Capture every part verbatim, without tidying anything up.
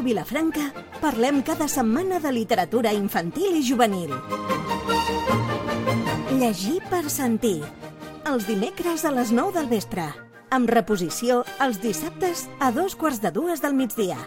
Ràdio Vilafranca parlem cada setmana de literatura infantil i juvenil. Llegir per sentir. Els dimecres a les nou del vespre. Amb reposició els dissabtes a dos quarts de dues del migdia.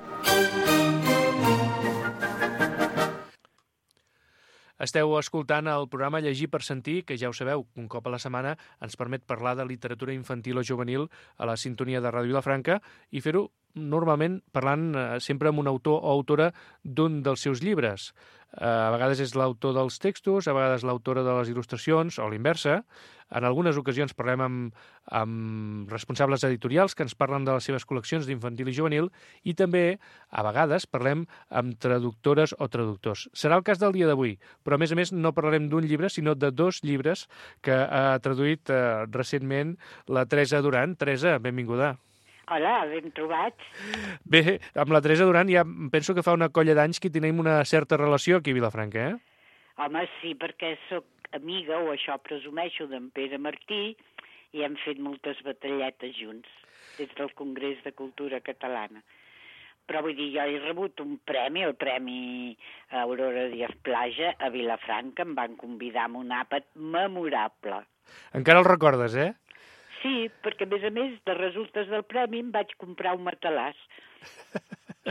Esteu escoltant el programa Llegir per sentir, que ja ho sabeu, un cop a la setmana ens permet parlar de literatura infantil o juvenil a la sintonia de Ràdio Vilafranca i fer-ho normalment parlant eh, sempre amb un autor o autora d'un dels seus llibres. Eh, a vegades és l'autor dels textos, a vegades l'autora de les il·lustracions o l'inversa. En algunes ocasions parlem amb, amb responsables editorials que ens parlen de les seves col·leccions d'infantil i juvenil i també, a vegades, parlem amb traductores o traductors. Serà el cas del dia d'avui, però a més a més no parlarem d'un llibre, sinó de dos llibres que ha traduït eh, recentment la Teresa Duran. Teresa, benvinguda. Hola, ben trobats. Bé, amb la Teresa Duran ja penso que fa una colla d'anys que tenim una certa relació aquí a Vilafranca, eh? Home, sí, perquè sóc amiga, o això presumeixo, d'en Pere Martí, i hem fet moltes batalletes junts, des del Congrés de Cultura Catalana. Però vull dir, jo he rebut un premi, el Premi Aurora Díaz Plaja, a Vilafranca, em van convidar amb un àpat memorable. Encara el recordes, eh? Sí, perquè a més a més, de resultes del premi, em vaig comprar un matalàs.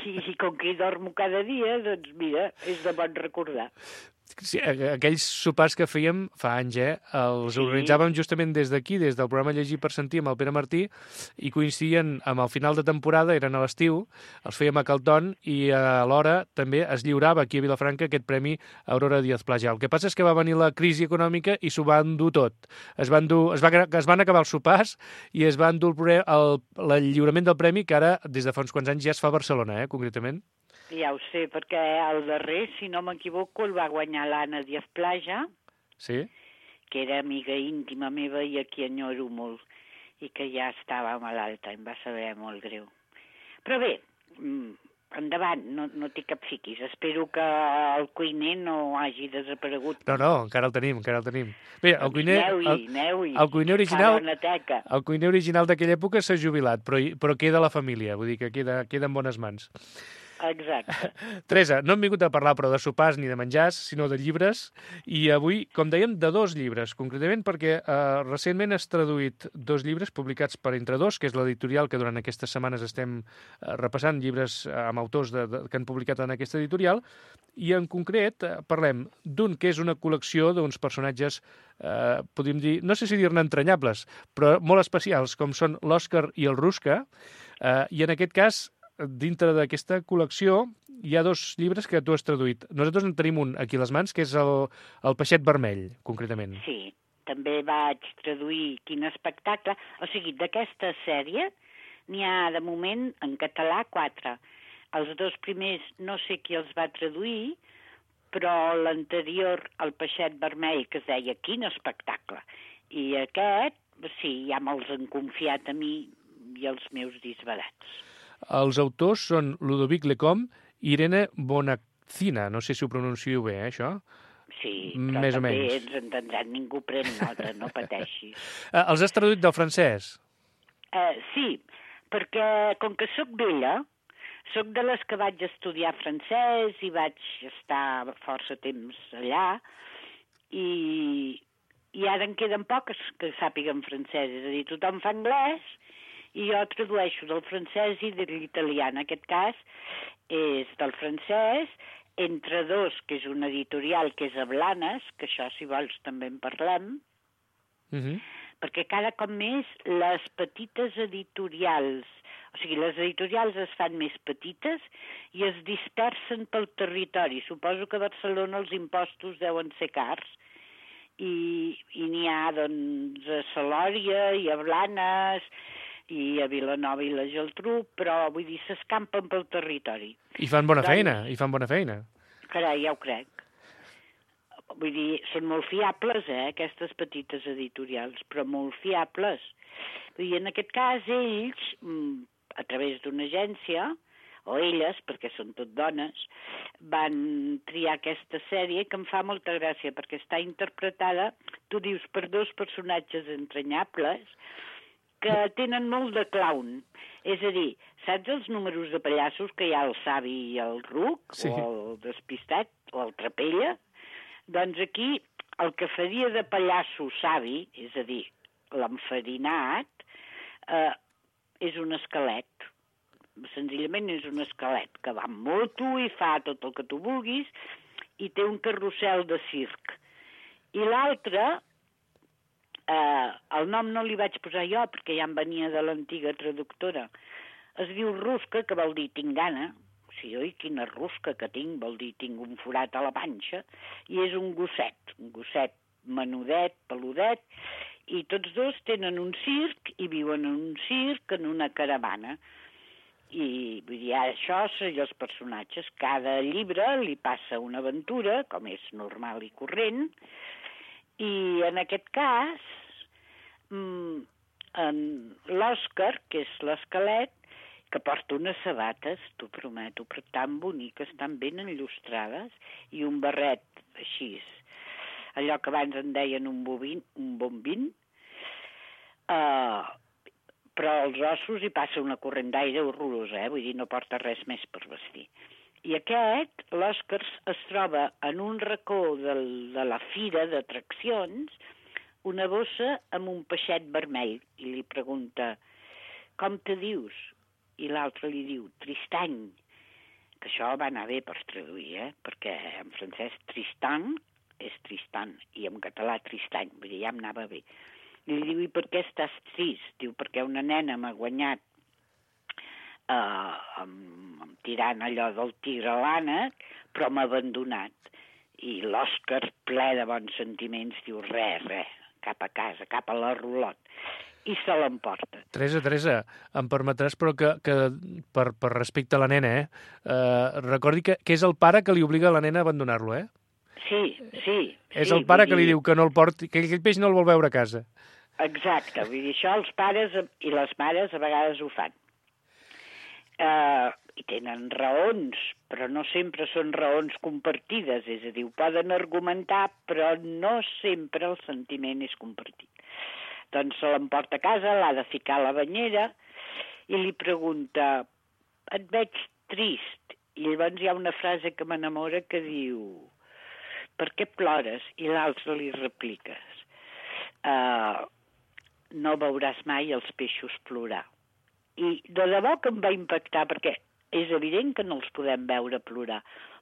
I, i com que hi dormo cada dia, doncs mira, és de bon recordar. Sí, aquells sopars que fèiem fa anys, eh? Els Sí. organitzàvem justament des d'aquí, des del programa Llegir per sentir amb el Pere Martí, i coincidien amb el final de temporada, eren a l'estiu, els fèiem a Calton i alhora també es lliurava aquí a Vilafranca aquest premi Aurora Díaz Plaja. El que passa és que va venir la crisi econòmica i s'ho van dur tot. Es van, dur, es, va, es van acabar els sopars i es van dur el, pre- el, el lliurament del premi, que ara, des de fa uns quants anys, ja es fa a Barcelona, eh? Concretament. Ja ho sé, perquè el darrer, si no m'equivoco, el va guanyar l'Anna Díaz Plaja, Sí? que era amiga íntima meva i a qui enyoro molt, i que ja estava malalta, em va saber molt greu. Però bé, endavant, no, no té cap fiquis. Espero que el cuiner no hagi desaparegut. No, no, encara el tenim, encara el tenim. Bé, el Doncs cuiner... aneu-hi, el, aneu-hi. el cuiner original... Fa bona teca. El cuiner original d'aquella època s'ha jubilat, però, però queda a la família, vull dir que queda, queda en bones mans. Exacte. Teresa, no hem vingut a parlar però de sopars ni de menjars, sinó de llibres, i avui, com dèiem, de dos llibres, concretament perquè eh, recentment has traduït dos llibres publicats per Entre Dos, que és l'editorial que durant aquestes setmanes estem eh, repassant llibres eh, amb autors de, de, que han publicat en aquesta editorial, i en concret eh, parlem d'un que és una col·lecció d'uns personatges, eh, podríem dir, no sé si dir-ne entranyables, però molt especials, com són l'Òscar i el Rusca, eh, i en aquest cas dintre d'aquesta col·lecció hi ha dos llibres que tu has traduït. Nosaltres en tenim un aquí a les mans, que és el, el Peixet Vermell, concretament. Sí, també vaig traduir Quin espectacle. O sigui, d'aquesta sèrie n'hi ha de moment en català quatre. Els dos primers no sé qui els va traduir, però l'anterior, el Peixet Vermell, que es deia Quin espectacle. I aquest, sí, ja me'ls han confiat a mi i els meus disbarats. Els autors són Ludovic Lecomte i Irene Bonaccina. No sé si ho pronuncio bé, eh, això? Sí, però Més o també menys. ens entendran, ningú pren nota, no pateixis. Eh, els has traduït del francès? Eh, sí, perquè com que sóc vella, sóc de les que vaig estudiar francès i vaig estar força temps allà, i, i ara en queden poques que sàpiguen francès, és a dir, tothom fa anglès, i jo tradueixo del francès i de l'italià. En aquest cas és del francès, Entre Dos, que és una editorial que és a Blanes, que això, si vols, també en parlem, Uh-huh. perquè cada cop més les petites editorials, o sigui, les editorials es fan més petites i es dispersen pel territori. Suposo que a Barcelona els impostos deuen ser cars, i, i n'hi ha, doncs, a Salòria i a Blanes i a Vilanova i la Geltrú, però, vull dir, s'escampen pel territori. I fan bona Doncs- feina, i fan bona feina. Carai, ja ho crec. Vull dir, són molt fiables, eh, aquestes petites editorials, però molt fiables. Vull dir, en aquest cas, ells, a través d'una agència, o elles, perquè són tot dones, van triar aquesta sèrie que em fa molta gràcia, perquè està interpretada, tu dius, per dos personatges entranyables, que tenen molt de clown. És a dir, saps els números de pallassos que hi ha el savi i el ruc, sí. o el despistat, o el trapella? Doncs aquí el que faria de pallasso savi, és a dir, l'enfarinat, eh, és un esquelet. Senzillament és un esquelet que va amb moto i fa tot el que tu vulguis i té un carrusel de circ. I l'altre... Uh, el nom no li vaig posar jo perquè ja em venia de l'antiga traductora. Es diu rusca, que vol dir tinc gana. O sigui, oi, quina rusca que tinc, vol dir tinc un forat a la panxa. I és un gosset, un gosset menudet, peludet, i tots dos tenen un circ i viuen en un circ, en una caravana. I vull dir, això són els personatges. Cada llibre li passa una aventura, com és normal i corrent. I en aquest cas, en l'Òscar, que és l'esquelet, que porta unes sabates, t'ho prometo, però tan boniques, tan ben enllustrades, i un barret així, allò que abans en deien un bobin, un bombín, uh, però als ossos hi passa una corrent d'aire horrorosa, eh? Vull dir, no porta res més per vestir. I aquest, l'Òscar, es troba en un racó del, de la fira d'atraccions, una bossa amb un peixet vermell, i li pregunta, com te dius? I l'altre li diu, Tristany, que això va anar bé per traduir, eh? Perquè en francès Tristan és Tristan, i en català Tristany, vull dir, ja em anava bé. I li diu, i per què estàs trist? Diu, perquè una nena m'ha guanyat Uh, amb, amb tirant allò del tigre a l'ànec, però m'ha abandonat. I l'Òscar, ple de bons sentiments, diu res, res, cap a casa, cap a la rulot, i se l'emporta. Teresa, Teresa, em permetràs, però que, que per, per respecte a la nena, eh, uh, recordi que, que és el pare que li obliga a la nena a abandonar-lo, eh? Sí, sí. És sí, el pare que dir... li diu que no el porti, que aquell peix no el vol veure a casa. Exacte, vull dir, això els pares i les mares a vegades ho fan. Uh, i tenen raons, però no sempre són raons compartides, és a dir, ho poden argumentar, però no sempre el sentiment és compartit. Doncs se l'emporta a casa, l'ha de ficar a la banyera i li pregunta, et veig trist, i llavors hi ha una frase que m'enamora que diu, per què plores? I l'altre li repliques, uh, no veuràs mai els peixos plorar. I de debò que em va impactar, perquè és evident que no els podem veure plorar,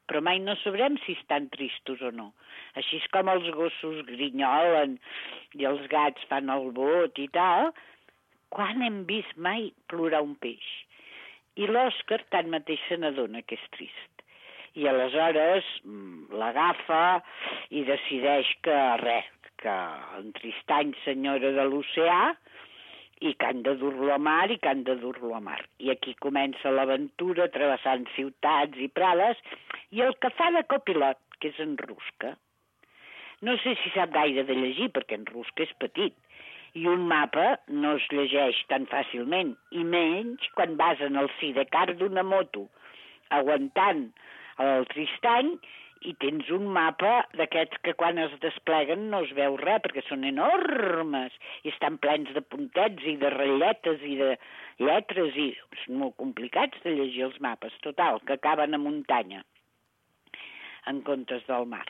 però mai no sabrem si estan tristos o no. Així és com els gossos grinyolen i els gats fan el bot i tal, quan hem vist mai plorar un peix? I l'Òscar tanmateix se n'adona que és trist. I aleshores l'agafa i decideix que res, que en Tristany, senyora de l'oceà, i que han de dur-lo a mar i que han de dur-lo a mar. I aquí comença l'aventura travessant ciutats i prades i el que fa de copilot, que és en Rusca. No sé si sap gaire de llegir perquè en Rusca és petit i un mapa no es llegeix tan fàcilment i menys quan vas en el sidecar d'una moto aguantant el Tristany i tens un mapa d'aquests que quan es despleguen no es veu res, perquè són enormes i estan plens de puntets i de ratlletes i de lletres i són molt complicats de llegir els mapes. Total, que acaben a muntanya en comptes del mar.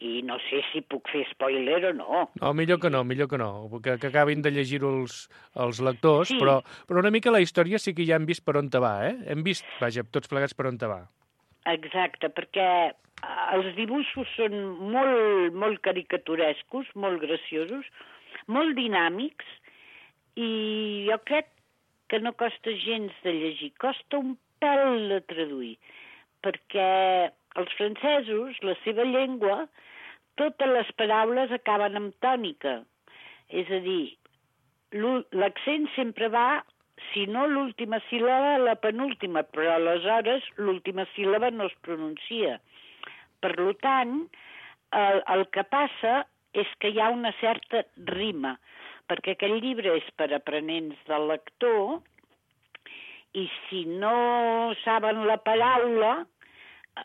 I no sé si puc fer spoiler o no. No, millor que no, millor que no, que, que acabin de llegir-ho els, els lectors, sí. però, però una mica la història sí que ja hem vist per on te va, eh? Hem vist, vaja, tots plegats per on te va. Exacte, perquè els dibuixos són molt, molt caricaturescos, molt graciosos, molt dinàmics, i jo crec que no costa gens de llegir, costa un pèl de traduir, perquè els francesos, la seva llengua, totes les paraules acaben amb tònica, és a dir, l'accent sempre va, si no l'última síl·laba, la penúltima, però aleshores l'última síl·laba no es pronuncia. Per tant, el, el que passa és que hi ha una certa rima, perquè aquest llibre és per aprenents del lector i si no saben la paraula,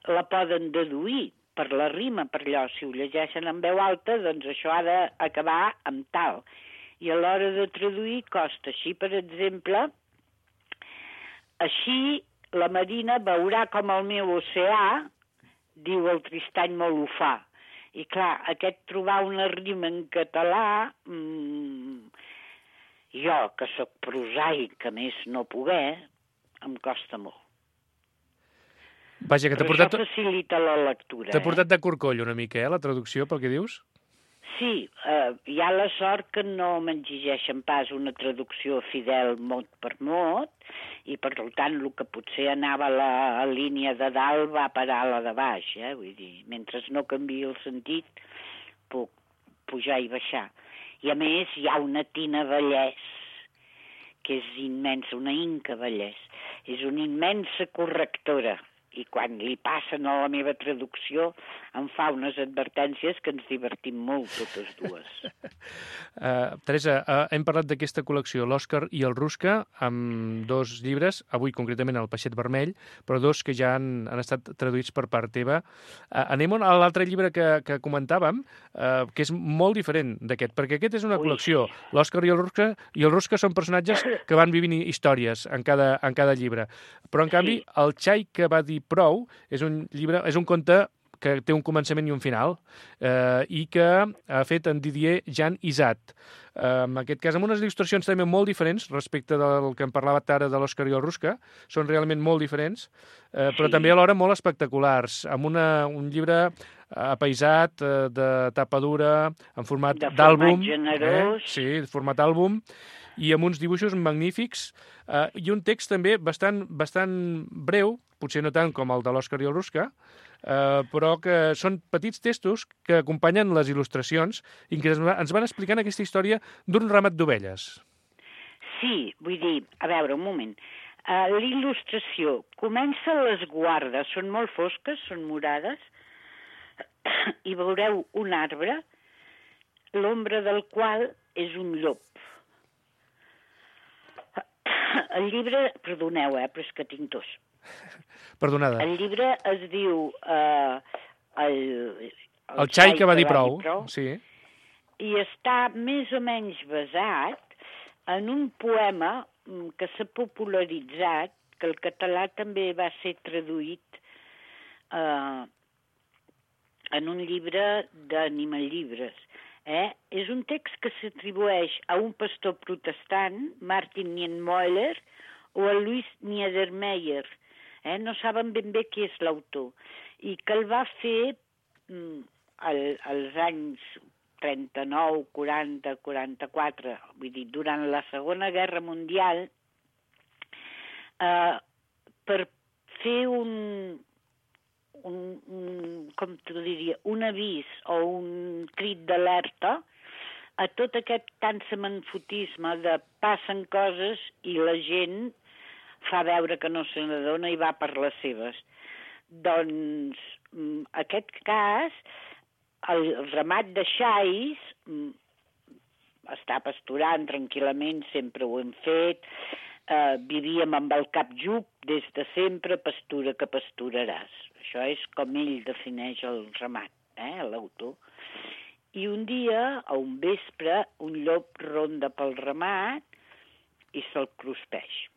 la poden deduir per la rima, per allò. Si ho llegeixen en veu alta, doncs això ha d'acabar amb tal. I a l'hora de traduir costa. Així, per exemple, així la Marina veurà com el meu oceà, diu el Tristany molt ho fa. I clar, aquest trobar una rima en català, mmm, jo, que sóc prosaic, que més no poder, em costa molt. Vaja, que t'ha Però portat... això facilita la lectura. T'ha portat eh? de corcoll una mica, eh, la traducció, pel que dius? Sí, eh, hi ha la sort que no m'exigeixen pas una traducció fidel mot per mot, i per tant el que potser anava a la a línia de dalt va parar a la de baix, eh? Vull dir, mentre no canviï el sentit, puc pujar i baixar. I a més hi ha una Tina Vallès, que és immensa, una Inca Vallès. És una immensa correctora, i quan li passen a la meva traducció em fa unes advertències que ens divertim molt totes dues. uh, Teresa, uh, hem parlat d'aquesta col·lecció, l'Òscar i el Rusca, amb dos llibres, avui concretament el Peixet Vermell, però dos que ja han, han estat traduïts per part teva. Uh, anem a l'altre llibre que, que comentàvem, uh, que és molt diferent d'aquest, perquè aquest és una Ui. col·lecció. L'Òscar i el Rusca, i el Rusca són personatges que van vivint històries en cada, en cada llibre. Però, en canvi, el Xai que va dir prou és un llibre, és un conte que té un començament i un final, eh, i que ha fet en Didier Jean Isat. Eh, en aquest cas, amb unes il·lustracions també molt diferents respecte del que em parlava ara de l'Òscar i el Rusca. Són realment molt diferents, eh, però Sí. també alhora molt espectaculars, amb una, un llibre apaisat, eh, de tapa dura, en format De format d'àlbum. generós. Eh? Sí, format àlbum, i amb uns dibuixos magnífics, eh, i un text també bastant, bastant breu, potser no tant com el de l'Òscar i el Rusca, eh, però que són petits textos que acompanyen les il·lustracions i que ens van explicant aquesta història d'un ramat d'ovelles. Sí, vull dir, a veure, un moment. Uh, l'il·lustració comença a les guardes, són molt fosques, són morades, i veureu un arbre, l'ombra del qual és un llop. El llibre, perdoneu, eh, però és que tinc tos. Perdonada. El llibre es diu uh, el, el, El Xai que va dir prou. prou. Sí. I està més o menys basat en un poema que s'ha popularitzat, que el català també va ser traduït eh, en un llibre d'animal-llibres. Eh? És un text que s'atribueix a un pastor protestant, Martin Niemöller, o a Louis Niedermeyer. Eh? No saben ben bé qui és l'autor. I que el va fer mm, al, als anys trenta-nou, quaranta, quaranta-quatre, vull dir, durant la Segona Guerra Mundial, eh, per fer un, un, un, com t'ho diria, un avís o un crit d'alerta a tot aquest cansamanfotisme de passen coses i la gent fa veure que no se n'adona i va per les seves. Doncs, en aquest cas, el ramat de xais està pasturant tranquil·lament, sempre ho hem fet, eh, vivíem amb el cap jup des de sempre, pastura que pasturaràs. Això és com ell defineix el ramat, eh, l'autor. I un dia, a un vespre, un llop ronda pel ramat i se'l cruspeix.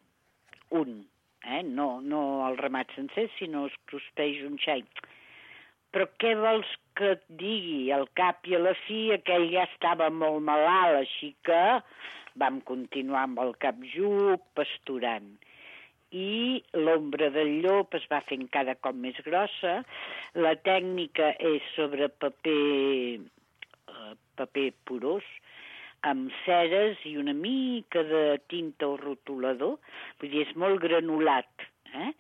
Un, eh? no, no el ramat sencer, sinó es cruspeix un xai. Però què vols que et digui? Al cap i a la fi aquell ja estava molt malalt, així que vam continuar amb el cap jup, pasturant. I l'ombra del llop es va fent cada cop més grossa. La tècnica és sobre paper, eh, paper porós, amb ceres i una mica de tinta o rotulador. Vull dir, és molt granulat. Eh?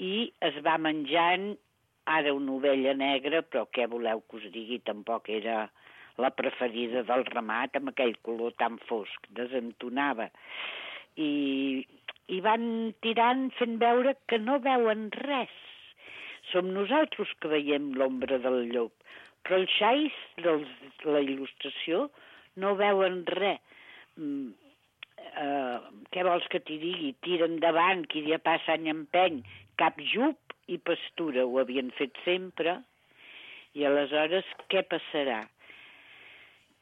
I es va menjant ara una ovella negra, però què voleu que us digui? Tampoc era la preferida del ramat, amb aquell color tan fosc, desentonava. I, i van tirant fent veure que no veuen res. Som nosaltres que veiem l'ombra del llop, però els xais de la il·lustració no veuen res. Mm, uh, què vols que t'hi digui? Tira endavant, qui dia passa any empeny, cap jup i pastura, ho havien fet sempre, i aleshores què passarà?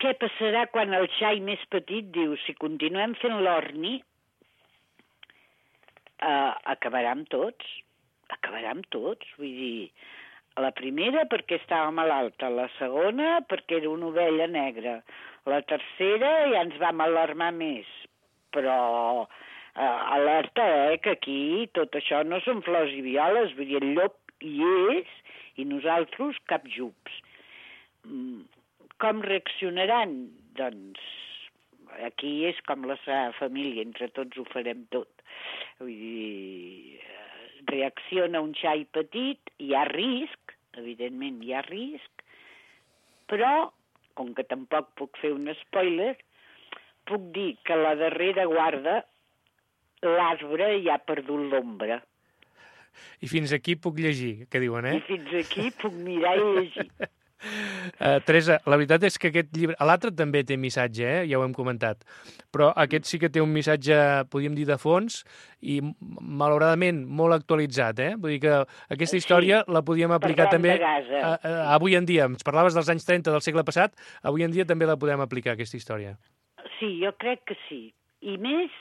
Què passarà quan el xai més petit diu, si continuem fent l'orni, uh, acabarà amb tots, acabarà amb tots, vull dir, la primera perquè estava malalta, la segona perquè era una ovella negra, la tercera ja ens vam alarmar més, però uh, alerta, eh, que aquí tot això no són flors i violes, vull dir, el llop hi és i nosaltres cap jups. Com reaccionaran? Doncs aquí és com la seva família, entre tots ho farem tot. Vull dir, reacciona un xai petit, hi ha risc, evidentment hi ha risc, però, com que tampoc puc fer un spoiler, puc dir que a la darrera guarda l'arbre ja ha perdut l'ombra. I fins aquí puc llegir, que diuen, eh? I fins aquí puc mirar i llegir. Uh, Teresa, la veritat és que aquest llibre... L'altre també té missatge, eh? Ja ho hem comentat. Però aquest sí que té un missatge, podríem dir, de fons i, malauradament, molt actualitzat, eh? Vull dir que aquesta història sí, la podíem aplicar també a, a, avui en dia. Ens parlaves dels anys trenta del segle passat, avui en dia també la podem aplicar, aquesta història. Sí, jo crec que sí. I més,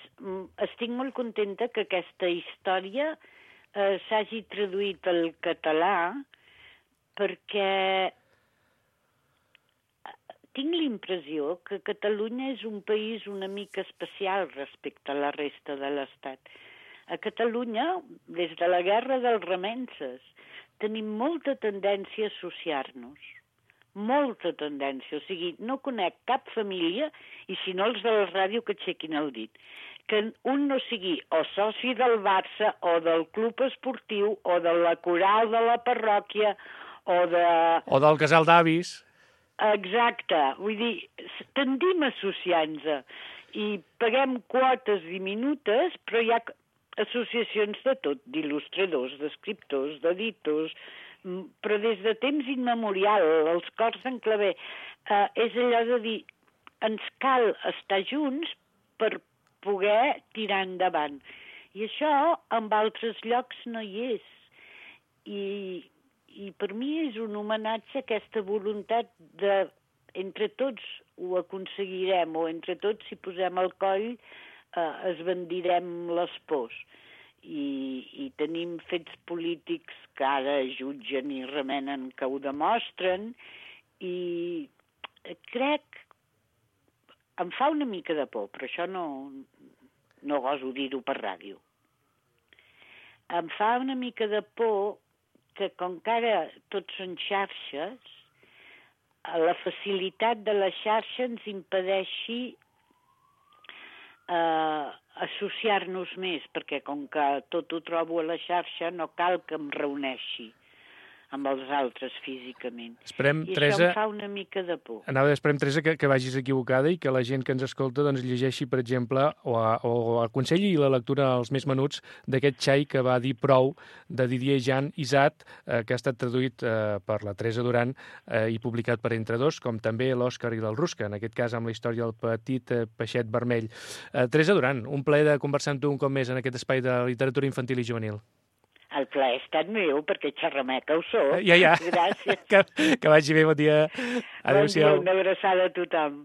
estic molt contenta que aquesta història eh, s'hagi traduït al català perquè tinc l'impressió que Catalunya és un país una mica especial respecte a la resta de l'Estat. A Catalunya, des de la guerra dels remences, tenim molta tendència a associar-nos. Molta tendència. O sigui, no conec cap família, i si no els de la ràdio que aixequin el dit, que un no sigui o soci del Barça o del club esportiu o de la coral de la parròquia o de... O del casal d'avis. Exacte, vull dir, tendim a associar-nos i paguem quotes diminutes, però hi ha associacions de tot, d'il·lustradors, d'escriptors, d'editors, però des de temps immemorial, els cors d'en Clavé, eh, és allò de dir, ens cal estar junts per poder tirar endavant. I això en altres llocs no hi és. I... I per mi és un homenatge a aquesta voluntat de, entre tots ho aconseguirem, o entre tots si posem el coll eh, esbandirem les pors. I, I tenim fets polítics que ara jutgen i remenen que ho demostren, i crec, em fa una mica de por, però això no, no goso dir-ho per ràdio. Em fa una mica de por que com que ara tots són xarxes, la facilitat de la xarxa ens impedeixi eh, associar-nos més, perquè com que tot ho trobo a la xarxa, no cal que em reuneixi amb els altres físicament. Esperem, I Teresa, això em fa una mica de por. Anava, esperem, Teresa, que, que vagis equivocada i que la gent que ens escolta doncs, llegeixi, per exemple, o, a, o aconselli la lectura als més menuts d'aquest xai que va dir prou, de Didier Jean Isat, eh, que ha estat traduït eh, per la Teresa Duran eh, i publicat per Entre Dos, com també l'Òscar i del Rusca, en aquest cas amb la història del petit eh, peixet vermell. Eh, Teresa Duran, un plaer de conversar amb tu un cop més en aquest espai de literatura infantil i juvenil. El plaer ha estat meu, perquè xerrameca ho sóc. Ja, ja. Gràcies. Que, que vagi bé, bon dia. Adéu-siau. Bon dia, una abraçada a tothom.